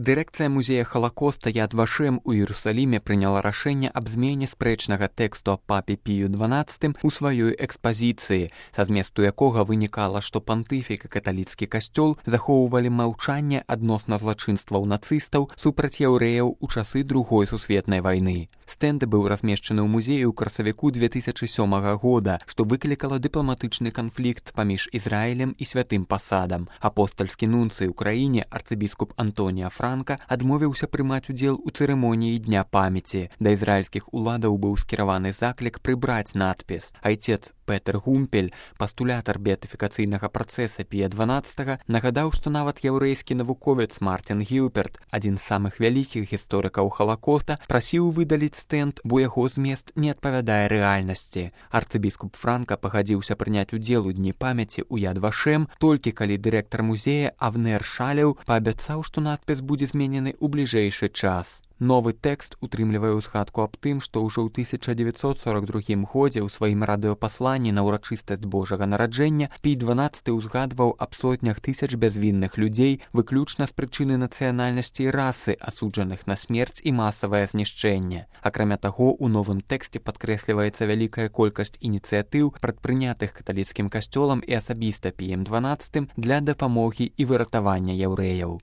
Дырэкцыя музея Халакоста Яд Вашем у Іерусаліме прыняла рашэнне аб змене спрэчнага тэксту аб папе Пію XII у сваёй экспазіцыі, са зместу якога вынікала, што пантыфік і каталіцкі касцёл захоўвалі маўчанне адносна злачынстваў нацыстаў супраць яўрэяў у часы Другой сусветнай вайны. Стэнд быў размешчаны ў музеі ў красавіку 2007 года, што выклікала дыпламатычны канфлікт паміж Ізраілем і святым пасадам. Апостальскі нунцый у краіне арцыбіскуп Антонія Франка адмовіўся прымаць удзел у цырымоніі Дня памяці. Да ізраільскіх уладаў быў скіраваны заклік прыбраць надпіс. Айцец Петер Гумпель, пастулятар беатыфікацыйнага працэса Пія XII, нагадаў, што нават яўрэйскі навуковец Мартин Гілперт, адзін з самых вялікіх гісторыкаў Халакоста, прасіў выдаліць стэнд, бо яго змест не адпавядае рэальнасці. Арцыбіскуп Франка пагадзіўся прыняць удзел у Дні памяці ў Яд Вашем, толькі калі дырэктар музея Авнер Шалеў паабяцаў, што надпіс будзе зменены ў бліжэйшы час. Новы тэкст утрымлівае ўзгадку аб тым, што ўжо ў 1942 годзе ў сваім радыёпасланні на ўрачыстасць Божага нараджэння Пій XII ўзгадваў аб сотнях тысяч бязвінных людзей выключна з прычыны нацыянальнасці і расы, асуджаных на смерць і масавае знішчэнне. Акрамя таго, у новым тэксце падкрэсліваецца вялікая колькасць ініцыятыў, прадпрынятых каталіцкім касцёлам і асабіста Піем XII для дапамогі і выратавання яўрэяў.